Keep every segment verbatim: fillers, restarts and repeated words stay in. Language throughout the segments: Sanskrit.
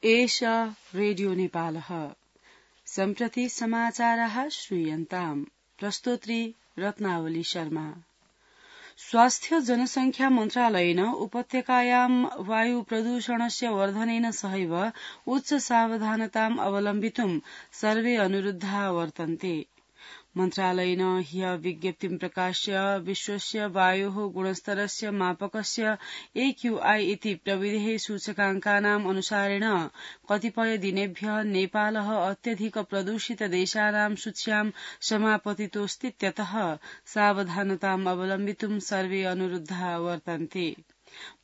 एष रेडियो नेपालः। सम्प्रति समाचाराः श्रूयन्ताम्। प्रस्तोत्री रत्नावली शर्मा। स्वास्थ्य जनसंख्या मन्त्रालयेन उपत्यकायां वायु प्रदूषणस्य वर्धनेन सहैव उच्च सावधानताम् अवलम्बितुं सर्वे अनुरुद्धा वर्तन्ते। मन्त्रालयेन ह्य विज्ञप्तिं प्रकाश्य विश्वस्य वायोः गुणस्तरस्य मापकस्य एक्यूआई इति प्रविधेः सूचकाङ्कानाम् अनुसारेण कतिपय दिनेभ्यः नेपालः अत्यधिक प्रदूषित देशानां सूच्यां समापतितोऽस्तीत्यतः सावधानताम् अवलम्बितुं सर्वे अनुरुद्धा वर्तन्ते।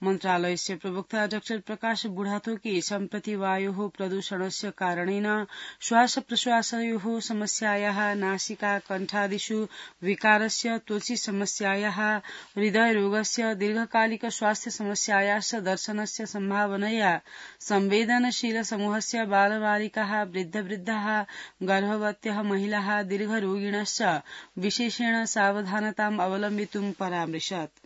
मन्त्रालयस्य प्रवक्ता डॉ प्रकाश बुढाथोकी सम्प्रति वायोः प्रदूषणस्य कारणेन श्वास प्रश्वासयोः समस्यायाः, नासिका कण्ठादिषु विकारस्य, त्वचि समस्यायाः, हृदयरोगस्य, दीर्घकालिक स्वास्थ्य समस्यायाश्च दर्शनस्य सम्भावनया संवेदनशील समूहस्य बालबालिकाः, वृद्धवृद्धाः, गर्भवत्यः महिलाः, दीर्घरोगिणश्च विशेषेण सावधानताम् अवलम्बितुं परामृशत्।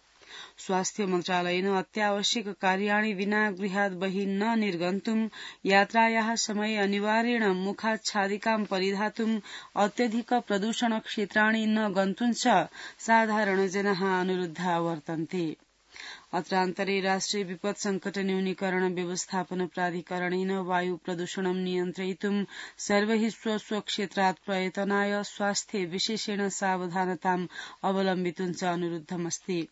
स्वास्थ्य मन्त्रालयेन अत्यावश्यक कार्याणि विना गृहात् बहिः न निर्गन्तुं, यात्रायाः समये अनिवार्येण मुखाच्छादिकां परिधातुं, अत्यधिक प्रदूषण क्षेत्राणि न गन्तुं च साधारणजनाः अनुरुद्धा वर्तन्ते। अत्रान्तरे राष्ट्रिय विपद संकट न्यूनीकरण व्यवस्थापन प्राधिकरणेन वायु प्रदूषणं नियन्त्रयितुं सर्वैः स्व स्व क्षेत्रात् प्रयतनाय स्वास्थ्ये विशेषेण सावधानताम् अवलम्बितुं च अनुरुद्धमस्ति।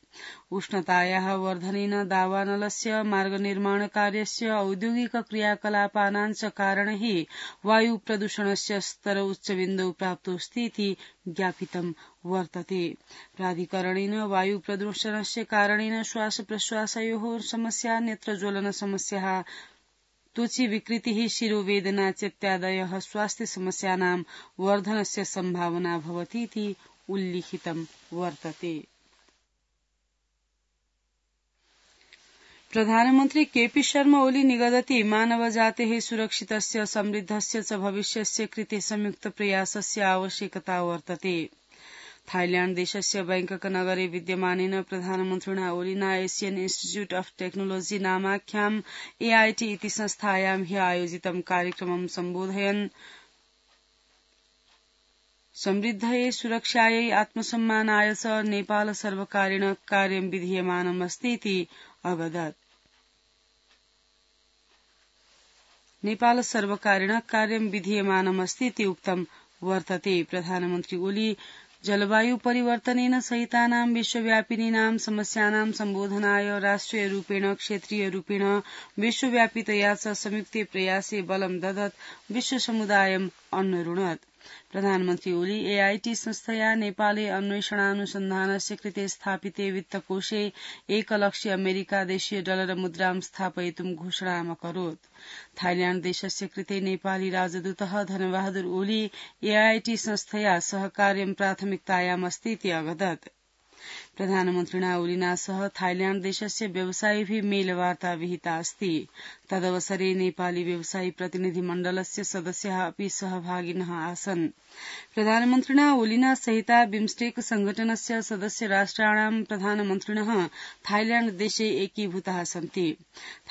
उष्णतायाः वर्धनेन दावानलस्य, मार्गनिर्माणकार्यस्य, औद्योगिक क्रियाकलापानां च कारणैः वायु प्रदूषणस्य स्तर उच्चबिन्दौ प्राप्तोऽस्ति इति ज्ञापितं वर्तते। प्राधिकरणेन वायु प्रदूषणस्य कारणेन श्वास प्रश्वासयोः समस्या, नेत्रज्वलन समस्याः, त्वचि विकृतिः, शिरोवेदना चेत्यादयः स्वास्थ्य समस्यानां वर्धनस्य सम्भावना भवति इति उल्लिखितं वर्तते। प्रधानमन्त्री केपी शर्मा ओली निगदति मानवजातेः सुरक्षितस्य समृद्धस्य च भविष्यस्य कृते संयुक्त प्रयासस्य आवश्यकता वर्तते। थाईलैण्ड देशस्य बैंकक नगरे विद्यमानेन प्रधानमन्त्रिणा ओलिना एशियन इन्स्टिट्यूट ऑफ टेक्नोलोजी नामाख्याम् एआईटी इति संस्थायां ह्य आयोजितं कार्यक्रमं सम्बोधयन् समृद्धये सुरक्षायै आत्मसम्मानाय च नेपाल सर्वकारेण कार्यं विधीयमानमस्ति इति अवदत्। नेपाल सर्वकारेण कार्यं विधीयमानमस्ति इति उक्तं वर्तते। प्रधानमन्त्री ओली जलवायु परिवर्तनेन सहितानां विश्वव्यापिनीनां समस्यानां सम्बोधनाय राष्ट्रिय रूपेण, क्षेत्रीय रूपेण, विश्वव्यापितया च संयुक्ते प्रयासे बलं ददत् विश्व समुदायम् अन्वरुणत्। प्रधानमन्त्री ओली एआईटी संस्थया नेपाले अन्वेषणानुसन्धानस्य कृते स्थापिते वित्तकोषे एकलक्ष अमेरिका देशीय डलर मुद्रां स्थापयितुं घोषणाम् अकरोत्। थाईलैण्ड देशस्य कृते नेपाली राजदूतः धनबहादुर ओली एआईटी संस्थया सह कार्यं प्राथमिकतायामस्ति इति अवदत्। प्रधानमन्त्रिणा ओलिना सह थाईलैण्ड देशस्य व्यवसायिभिः मेलवार्ता विहिता अस्ति। तदवसरे नेपाली व्यवसायी प्रतिनिधि मण्डलस्य सदस्याः अपि सहभागिनः आसन्। प्रधानमन्त्रिणा ओलिना सहिता बिम्स्टेक संघटनस्य सदस्य राष्ट्राणां प्रधानमन्त्रिणः थाईलैण्ड देशे एकीभूताः सन्ति।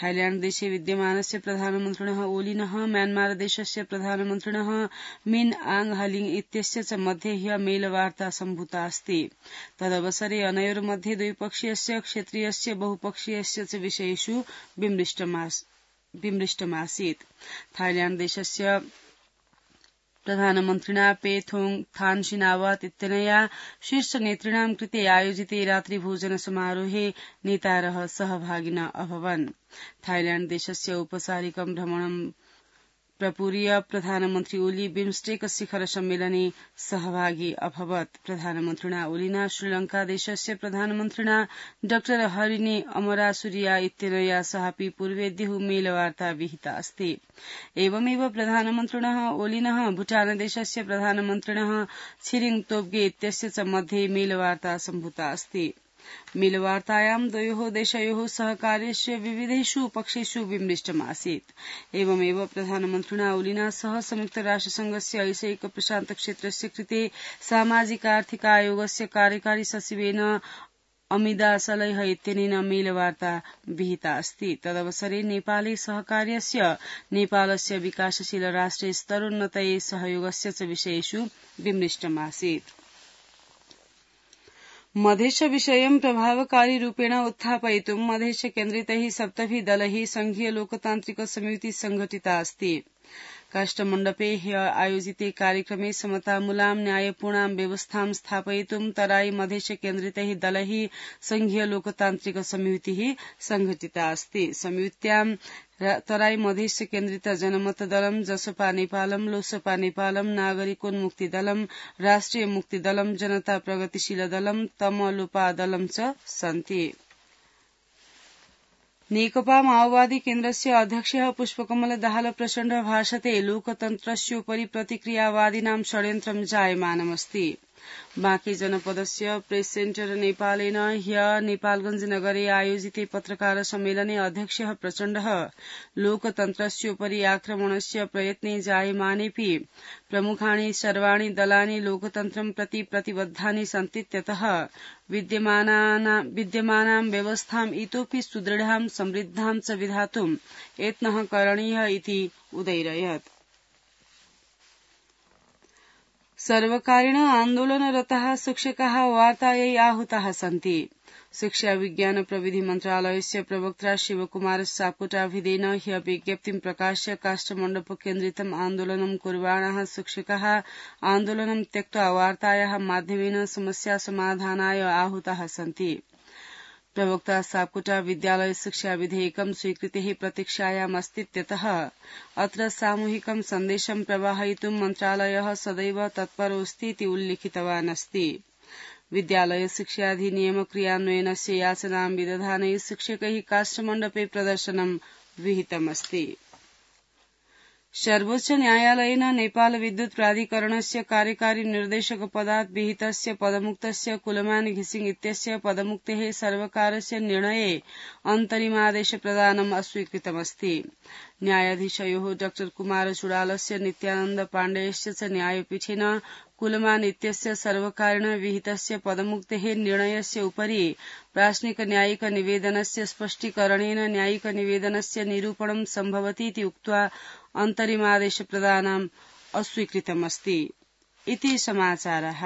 थाईलैण्ड देशे विद्यमानस्य प्रधानमन्त्रिणः ओलिनः म्यान्मार देशस्य प्रधानमन्त्रिणः मिन आङ हलिङ इत्यस्य च मध्ये ह्य मेलवार्ता सम्भूता अस्ति। तदवसरे अनयोर्मध्ये द्विपक्षीयस्य, क्षेत्रीयस्य, बहुपक्षीयस्य च विषयेषु विमृष्टमासीत्। थाईलैण्ड देशस्य प्रधानमन्त्रिणा पेथोङ थानसिनावात इत्यनया शीर्षनेतृणां कृते आयोजिते रात्रिभोजन समारोहे नेतारः सहभागिनः अभवन्। थाईलैण्ड देशस्य औपचारिकं भ्रमणं प्रपूर्य प्रधानमन्त्री ओली बिम्स्टेक शिखर सम्मेलने सहभागी अभवत्। प्रधानमन्त्रिणा ओलिना श्रीलंका देशस्य प्रधानमन्त्रिणा डॉ हरिणी अमरासुरिया इत्यनया सहापि पूर्वेद्युः मेलवार्ता विहिता अस्ति। एवमेव प्रधानमन्त्रिणः ओलिनः भूटान देशस्य प्रधानमन्त्रिणः छिरिङ तोब्गे इत्यस्य च मध्ये मेलवार्ता सम्भूता अस्ति। मेलवार्तायां द्वयोः देशयोः सहकार्यस्य विविधेषु पक्षेषु विमृष्टमासीत्। एवमेव प्रधानमन्त्रिणा ओलिना सह संयुक्त राष्ट्रसंघस्य ऐशिक प्रशान्त क्षेत्रस्य कृते सामाजिक आर्थिक आयोगस्य कार्यकारी सचिवेन अमिदासलैः इत्यनेन मेलवार्ता विहिता अस्ति। तदवसरे नेपाले सहकार्यस्य नेपालस्य विकासशील राष्ट्रे स्तरोन्नतये सहयोगस्य च विषयेषु विमृष्टमासीत्। मधेश विषयं प्रभावकारी रूपेण उत्थापयितुं मधेश केन्द्रितैः सप्तभिः दलैः संघीय लोकतान्त्रिक समिति संघटिता अस्ति। काष्ठमण्डपे ह्य आयोजिते कार्यक्रमे समतामूलां न्यायपूर्णां व्यवस्थां स्थापयितुं तराई मधेश केन्द्रितैः दलैः संघीय लोकतान्त्रिक समितिः संघटिता अस्ति। समित्यां तराई मधेश केन्द्रित जनमत दलम, जसपा नेपालम, लोसपा नेपालम, नागरिकोन्मुक्ति दलम, राष्ट्रिय मुक्ति दलम, जनता प्रगतिशील दलम, तमलुपा दलम च सन्ति। नेकपा माओवादी केन्द्रस्य अध्यक्षः पुष्पकमल दाहाल प्रचण्ड भाषते लोकतन्त्रस्योपरि प्रतिक्रियावादिनां षड्यन्त्रं जायमानमस्ति। बाँके जनपदस्य प्रेस सेन्टर नेपालेन ह्य नेपालगंज नगरे आयोजिते पत्रकार सम्मेलने अध्यक्षः प्रचण्डः लोकतन्त्रस्योपरि आक्रमणस्य प्रयत्ने जायमानेऽपि प्रमुखाणि सर्वाणि दलानि लोकतन्त्रं प्रति प्रतिबद्धानि सन्तीत्यतः विद्यमानां व्यवस्थाम् इतोऽपि सुदृढां समृद्धां च विधातुं यत्नः करणीयः इति उदैरयत्। सर्वकारेण आन्दोलनरताः शिक्षकाः वार्तायै आहूताः सन्ति। शिक्षा विज्ञान प्रविधि मन्त्रालयस्य प्रवक्ता शिवकुमार सापकोटाभिधेन ह्य विज्ञप्तिं प्रकाश्य काष्ठमण्डप केन्द्रितम् आन्दोलनं कुर्वाणाः शिक्षकाः आन्दोलनं त्यक्त्वा वार्तायाः माध्यमेन समस्या समाधानाय आहूताः सन्ति। प्रवक्ता सापकोटा विद्यालय शिक्षा विधेयकं स्वीकृतेः प्रतीक्षायामस्तीत्यतः अत्र सामूहिकं सन्देशं प्रवाहयितुं मन्त्रालयः सदैव तत्परोऽस्तीति उल्लिखितवान् अस्ति। विद्यालय शिक्षाधिनियम क्रियान्वयनस्य याचनां विदधाने शिक्षकैः काष्ठमण्डपे प्रदर्शनं विहितमस्ति। सर्वोच्च न्यायालयेन नेपाल विद्युत प्राधिकरणस्य कार्यकारी निर्देशक पदात् विहितस्य पदमुक्तस्य कुलमान घिसिङ इत्यस्य पदमुक्तेः सर्वकारस्य निर्णये अन्तरिमादेश प्रदानम् अस्वीकृतमस्ति। न्यायाधीशयोः डॉ कुमार चुडालस्य नित्यानन्द पाण्डेयस्य च न्यायपीठेन कुलमान इत्यस्य सर्वकारेण विहितस्य पदमुक्तेः निर्णयस्य उपरि प्राश्निक न्यायिक निवेदनस्य स्पष्टीकरणेन न्यायिक निवेदनस्य निरूपणं सम्भवतीति उक्त्वा अन्तरिमादेश प्रदानम् अस्वीकृतमस्ति। इति समाचारः।